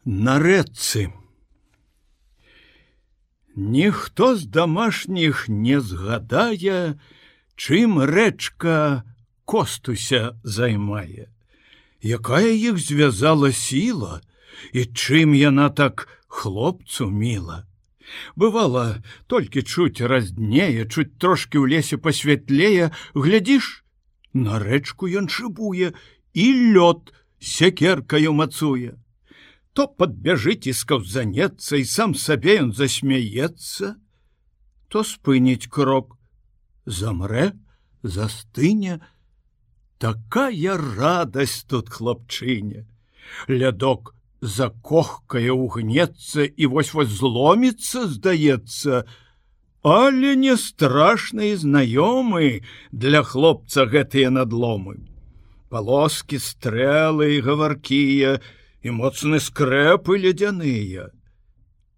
На рэчцы. Ніхто з дамашніх не згадае, чым рэчка Костуся займае, якая іх звязала сіла і чым яна так хлопцу міла. Бывала, толькі чуць разднее, чуць трошкі ў лесе пасвятлее, глядзіш, на рэчку ён шыбуе і лёд сякеркаю мацуе. То падбяжыць і скаўзанецца, і сам сабе ён засмяецца, то спыніць крок, замрэ, застыне. Такая радасць тут хлапчыне. Лядок закохкае, угнецца і вось-вось зломіцца, здаецца, але не страшны і знаёмы для хлопца гэтыя надломы. Палоскі, стрэлы і гаваркія, і моцны скрэпы ледзяныя.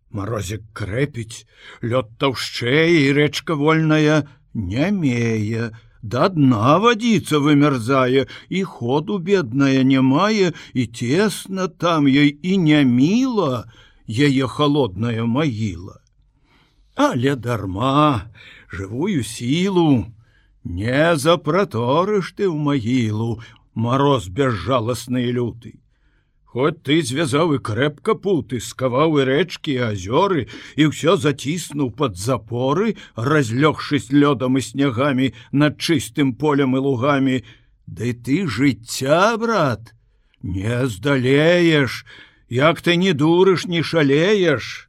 Марозік крэпіць, лёд таўшчэй, і рэчка вольная нямее, да дна вадзіца вымярзае, і ходу бедная не мае, і цесна там ёй, і няміла яе халодная магіла. Але дарма, жывую сілу не запраторыш ты ў магілу, мароз бязжаласны і люты. Хоць ты звязаў і крэпка путы, скаваў і рэчкі, і азёры, і ўсё заціснуў пад запоры, разлёгшись лёдам і снягамі над чыстым полем і лугамі, ды ты жыцця, брат, не здалееш, як ты не дурыш, не шалееш.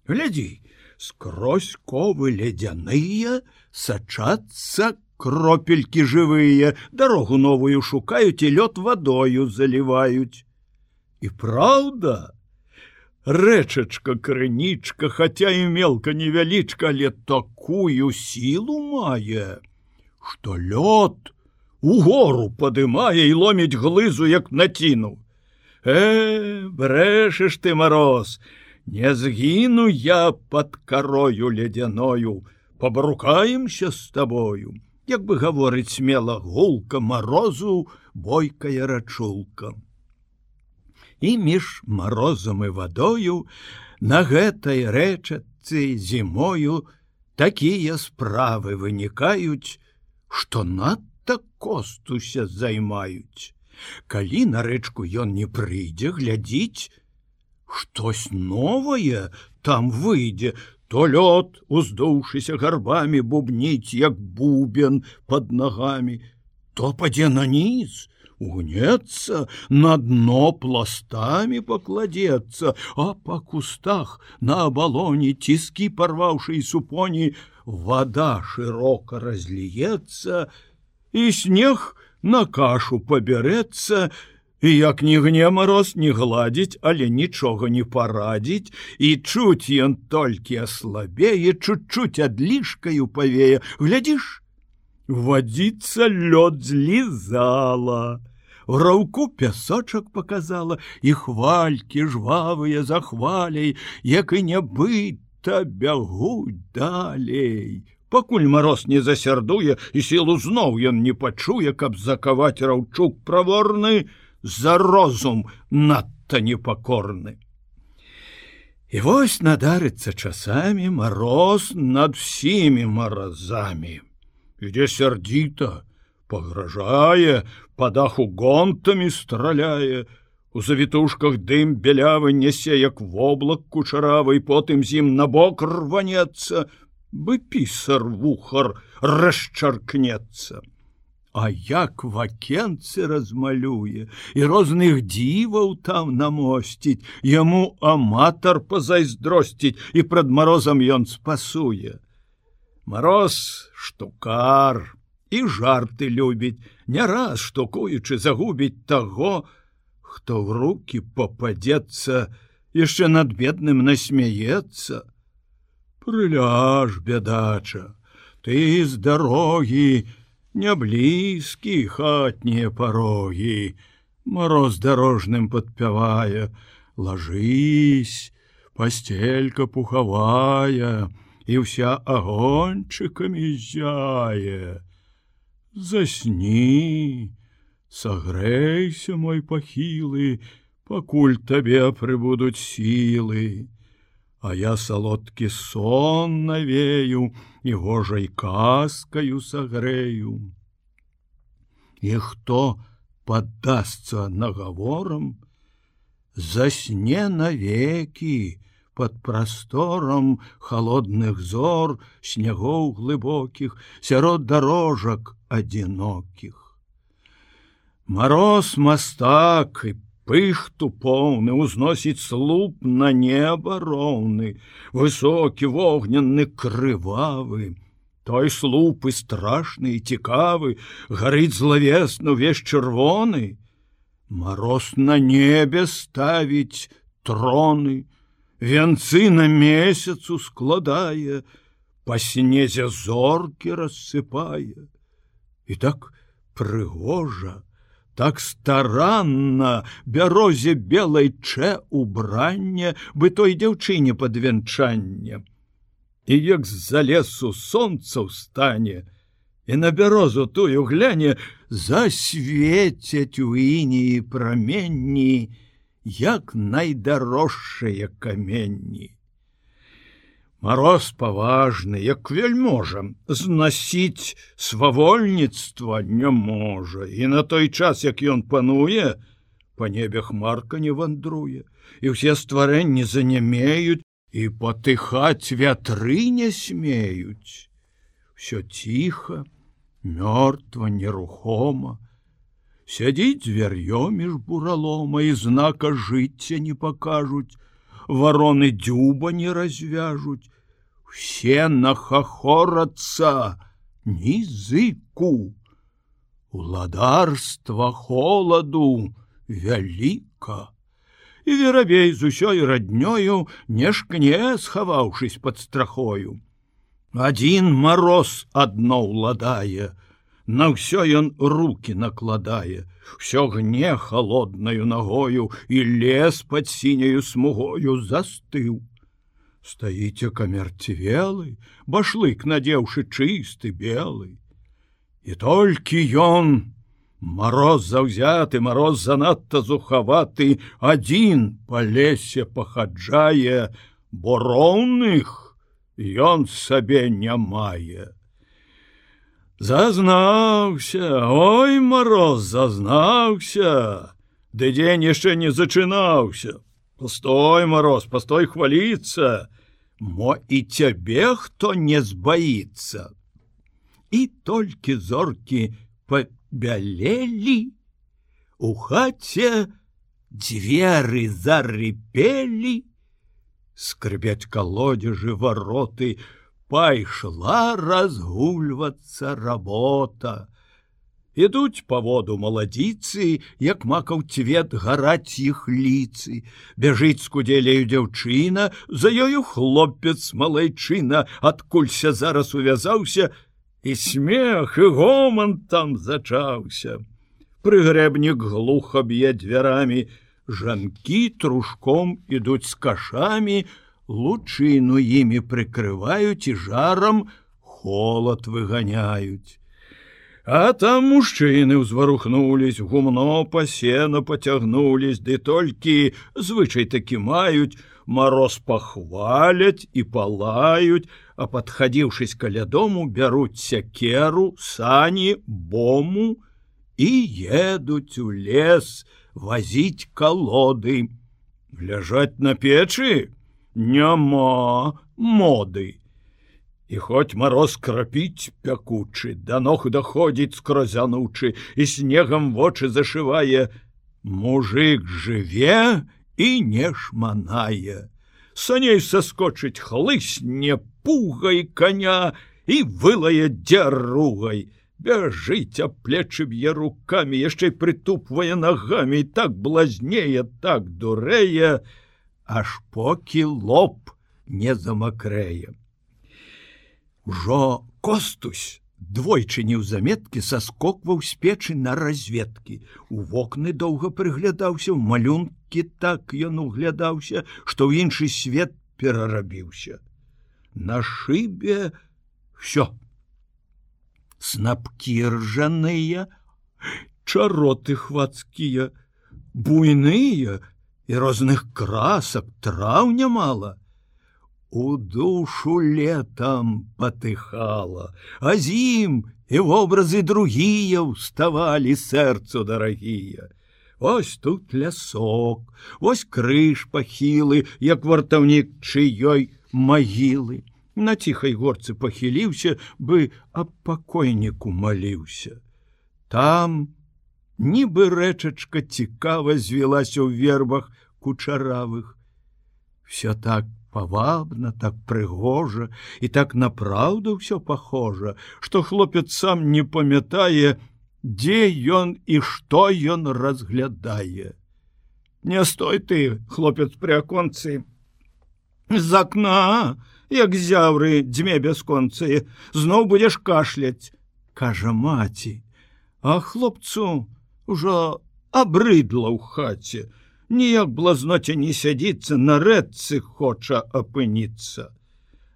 Глядзі, скрозь ковы ледзяныя сачацца кропелькі жывыя, дарогу новую шукаюць і лёд вадою заліваюць. І праўда, рэчачка крынічка, хаця і мелка невялічка, але такую сілу мае, што лёд угору падымае і ломіць глызу, як націну. Брэшаш ты, мароз, не згіну я пад карою ледзяною, пабрукаемся з табою, як бы гаворыць смела гулка марозу бойкая рачулка. І між марозам і вадою на гэтай рэчачцы зімою такія справы вынікаюць, што надта Костуся займаюць. Калі на рэчку ён не прыйдзе, глядзіць, штось новае там выйдзе, то лёд, уздоўшыся гарбамі, бубніць, як бубен пад нагамі, то падзе на ніз, угнецца, на дно пластамі пакладзецца, а па кустах на абалоне, ціскі парваўшы і супоні, вада шырока разліецца, і снег на кашу пабярэцца, і як ні гне мароз, не гладзіць, але нічога не парадзіць, і чуць ён толькі аслабее, чуть-чуть адлішкаю павее. Глядзіш, вадзіца лёд злізала, в раўку пясочак показала, і хвалькі жвавыя за хваляй, як і нябыта бягуць далей. Пакуль мароз не засярдуе, і сілу зноў ён не пачуе, каб закаваць раўчук праворны, за розум надта непакорны. І вось надарыцца часамі мароз над всімі маразамі. Ідзе сярдзіта, пагражае, па даху гонтамі страляе, у завітушках дым бялявы нясе, як воблак кучаравы, і потым з ім набок рванецца, бы пісар вухар расчаркнецца. А як вакенцы размалюе, і розных дзіваў там намосціць, яму аматар пазайздросціць, і прад марозам ён спасуе. Мароз штукар, і жарты любіць, не раз штукуючы загубіць таго, хто ў рукі попадзецца, яшчэ над бедным насмяецца. Прыляж, бядача, ты з дарогі, не блізкі хатнія парогі, мароз дарожным падпявае, ложись, пастелька пухавая, і вся агончыкамі зяе. Засні, сагрэйся, мой пахілы, пакуль табе прыбудуць сілы, а я салодкі сон навею і гожай казкаю сагрэю. І хто паддасца нагаворам, засне навекі пад прасторам холодных зор, снягоў глыбокіх, сярод дарожак адзінокіх. Мароз мастак і пыхту поўны узносіць слуп на неба роўны, высокі, вогненны, крывавы. Той слуп і страшны, і цікавы, гарыць злавесна ўвесь чырвоны. Мароз на небе ставіць троны, вянцы на месяцу складае, па снезе зоркі рассыпае. І так прыгожа, так старанна бярозе белай чэ убранне, бы той дзяўчыне пад вянчанне. І як з-за лесу сонца ўстане, і на бярозу тую гляне, засвецяць у ініі праменні, як найдарожшыя каменні. Мароз паважны, як вельможа, знасіць свавольніцтва не можа, і на той час, як ён пануе, па небе хмарка не вандруе, і ўсе стварэнні занямеюць, і патыхаць вятры не смеюць. Всё ціха, мёртва, нерухома, сядзіць звяр'ё між буралома, і знака жыцця не пакажуць, вароны дзюба не развяжуць, усе нахахорацца, ні зыку. Уладарства холаду вяліка, і верабей з усёй раднёю не шкне, схаваўшись пад страхою. Адзін мароз адно ўладае, на ўсё ён руки накладае, всё гне холоднаю ногою, і лес пад сіняю смугою застыў. Стаіце камярцвелы, башлык надзеўшы чысты белы. І толькі ён, мароз заўзяты, мароз занадта зухаваты, адзін па лесе пахаджае, бо роўных ён сабе не мае. Зазнаўся, ой, мароз, зазнаўся, ды дзень яшчэ не зачынаўся. Постой, мароз, постой хваліцца, мо і цябе хто не збаіцца. І толькі зоркі пабялелі, у хаце дзверы зарыпелі, скрыбяць калодзежы вароты, пайшла разгульвацца работа. Ідуць па воду маладзіцы, як макаў цвет гараць іх ліцы. Бяжыць з кудзеляю дзяўчына, за ёю хлопец малайчына, адкулься зараз увязаўся, і смех, і гоман там зачаўся. Прыгрэбнік глуха б'е дзвярамі, жанкі трушком ідуць з кашамі, лучыну імі прыкрываюць і жарам холад выганяюць. А там мужчыны ўзварухнулись, гумно па сено пацягнулись, ды толькі звычай такі маюць, мароз пахваляць і палаюць, а падхадзіўшись каля дому, бяруць сякеру, сані, бому і едуць у лес вазіць калоды. Ляжаць на печы няма моды. І хоць мароз крапіць пякучы, да ног даходзіць скрозянучы, і снегам вочы зашывае, мужик жыве і не шманае. Саней саскочыць хлысне пугай коня і вылае дзяругай. Бяжыць, а плечы б'е рукамі, яшчэ прытупвае нагамі, і так блазнее, так дурэе, аж покі лоб не замакрэе. Ужо Костусь двойчы неўзаметкі саскокваў з печы на разведкі. У вокны доўга прыглядаўся, у малюнкі так ён углядаўся, што ў іншы свет перарабіўся. На шыбе всё. Снапкі ржаныя, чароты хвацкія, буйныя, і розных красак, траў нямала. У душу летом патыхала, а з ім і вобразы другія ўставалі сэрцу дарагія. Вось тут лясок, вось крыж пахілы, як вартаўнік чыёй магілы. На ціхай горцы пахіліўся, бы аб пакойніку маліўся. Там нібы рэчачка цікава звілася ў вербах кучаравых. Всё так павабна, так прыгожа і так напраўду ўсё пахожа, што хлопец сам не памятае, дзе ён і што ён разглядае. Не стой ты, хлопец пры аконцы, з акна, як зяўры дзьме бясконцыя, зноў будзеш кашляць, кажа маці, а хлопцу ўжо абрыдла ў хаце, ніяк блазноце не сядзіцца, на рэдцы хоча апыніцца.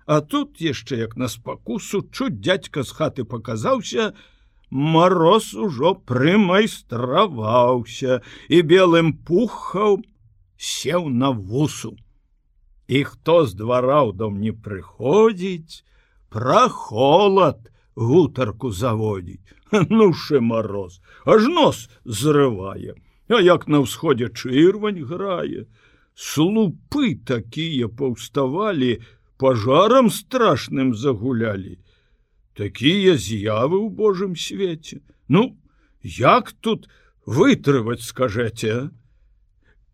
А тут яшчэ як на спакусу чуць дзядзька з хаты паказаўся, мароз ужо прымайстраваўся і белым пухам сеў на вусу. І хто з двара ў дом не прыходзіць, пра холад гутарку заводзіць. Ну ж мароз, аж нос зрывае. А як на ўсходзе чырвань грае, слупы такія паўставалі, пажарам страшным загулялі. Такія з'явы ў Божым свеце. Ну, як тут вытрываць, скажэце?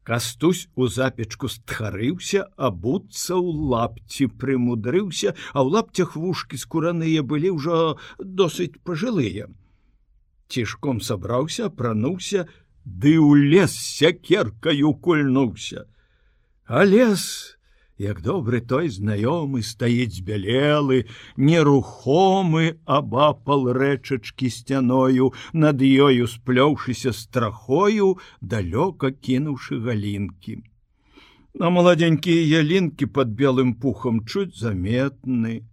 Кастусь у запечку стхарыўся, абуцца ў лапці прымудрыўся, а ў лапцях вушкі скураныя былі ўжо досыць пажылыя. Цішком сабраўся, апрануўся, ды ў лес сякеркаю кульнуўся. А лес, як добры той знаёмы, стаіць збялелы, нерухомы абапал рэчачкі сцяною, над ёю сплёўшыся страхою, далёка кінуўшы галінкі. А маладзенькія ялінкі пад белым пухам чуць заметны.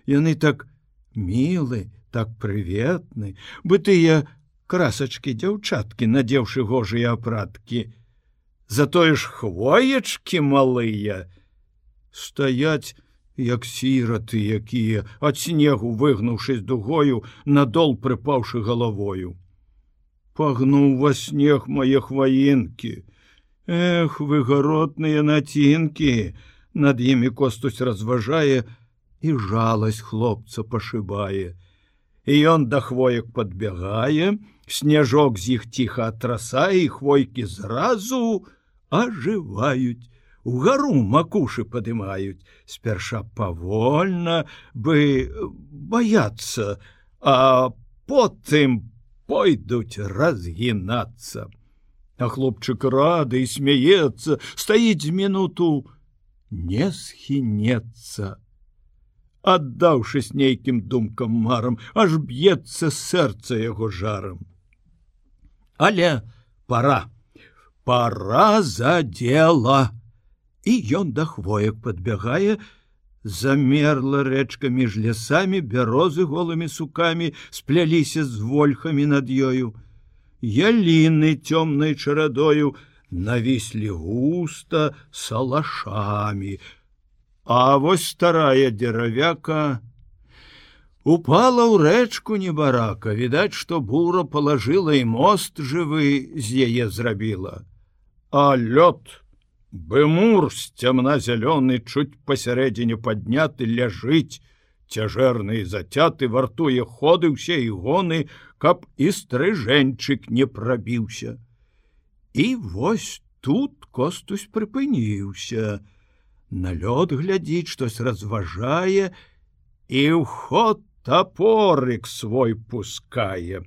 Яны так мілы, так прыветны, бы тыя красачкі дзяўчаткі, надзеўшы гожыя апраткі. Затое ж хвоечкі малыя стаяць, як сіраты якія, ад снегу выгнуўшись дугою, надол прыпаўшы галавою. Пагнуў во снег мае хваінкі. Эх, вы гаротныя націнкі, над імі Костусь разважае і жаласць хлопца пашыбае. І ён да хвоек падбягае, снежок з іх ціха атрасае, і хвойкі зразу ажываюць, угару макушы падымаюць, спярша павольна, бы баяцца, а потым пойдуць разгінацца. А хлопчык рады і смяецца, стаіць з мінуту, не схінецца. Аддаўшись нейкім думкам марам, аж б'ецца сэрца яго жарам. Але пора за дело. І ён да хвоек падбягае, замерла рэчка між лясамі, бярозы голымі сукамі спляліся з вольхамі над ёю. Яліны цёмнай чарадою навіслі густа салашамі. А вось старая дзеравяка упала ў рэчку небарака, відаць, што бура палажыла і мост жывы з яе зрабіла. А лёд, бэмур сцямна-зялёны, чуць пасярэдзіне падняты, ляжыць, цяжэрны і зацяты, вартуе ходы ўсе і гоны, каб і стрыжэньчык не прабіўся. І вось тут Костусь прыпыніўся. На лёд глядзіць, штось разважае, і ў ход тапорык свой пускае.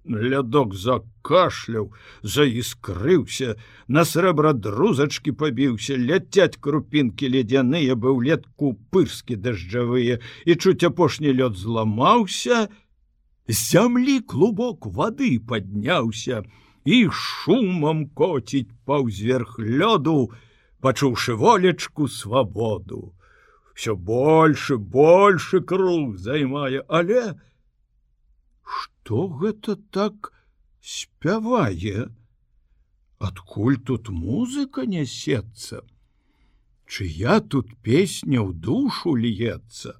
Лядок закашляў, заіскрыўся, на срэбра друзачкі пабіўся, ляцяць крупінкі ледзяныя, бы ўлетку пырскі дажджавыя, і чуць апошні лёд зламаўся, з зямлі клубок вады падняўся і шумам коціць паўзверх лёду, пачуўшы волечку свабоду. Всё больше круг займае, але што гэта так спявае? Адкуль тут музыка нясецца? Чыя тут песня ў душу льецца?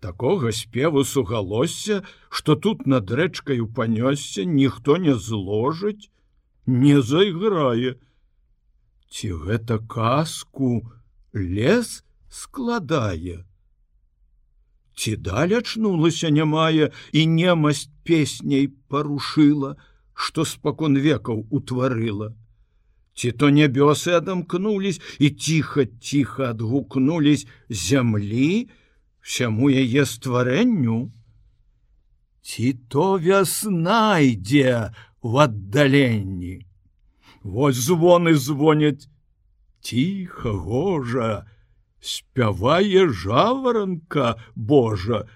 Такога спеву сугалосся, што тут над рэчкаю панёсся, ніхто не зложыць, не зайграе. Ці гэта казку лес складае? Ці даль ачнулася нямая і немасць песняй парушыла, што спакон векаў утварыла? Ці то нябёсы адамкнулись і ціха-ціха адгукнулись зямлі всяму яе стварэнню? Ці то вясна ідзе в аддаленні? Вось звоны звоняць, ціха, гожа, спявае жаваранка Божа,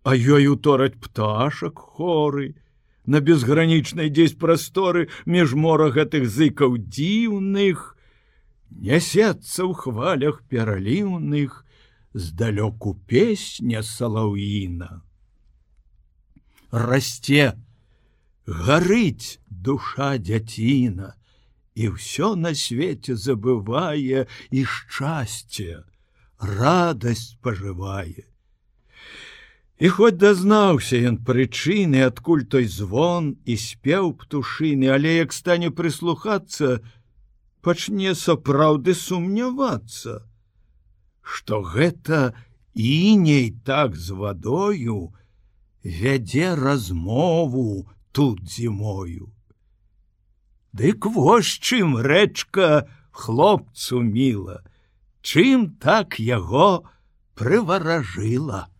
а ёй утораць пташак хоры. На безгранічнай дзесь прасторы між мора гэтых зыкаў дзіўных нясецца ў хвалях пераліўных здалёку песня салаўіна. Расце, гарыць душа дзяціна, і ўсё на свеце забывае і шчасце, радасць пажывае. І хоць дазнаўся ён прычыны, адкуль той звон і спеў птушыны, але як стане прыслухацца, пачне сапраўды сумнявацца, што гэта іней так з вадою вядзе размову тут зімою. Дык вось чым рэчка хлопцу міла, чым так яго прываражыла.